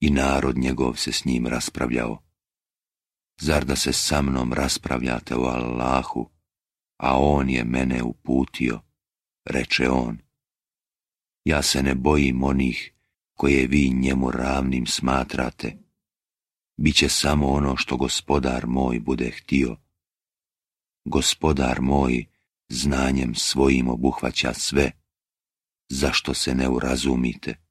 i narod njegov se s njim raspravljao. Zar da se sa mnom raspravljate o Allahu, a on je mene uputio, reče on. Ja se ne bojim onih koje vi njemu ravnim smatrate. Biće samo ono što Gospodar moj bude htio. Gospodar moj znanjem svojim obuhvaća sve, zašto se ne urazumite?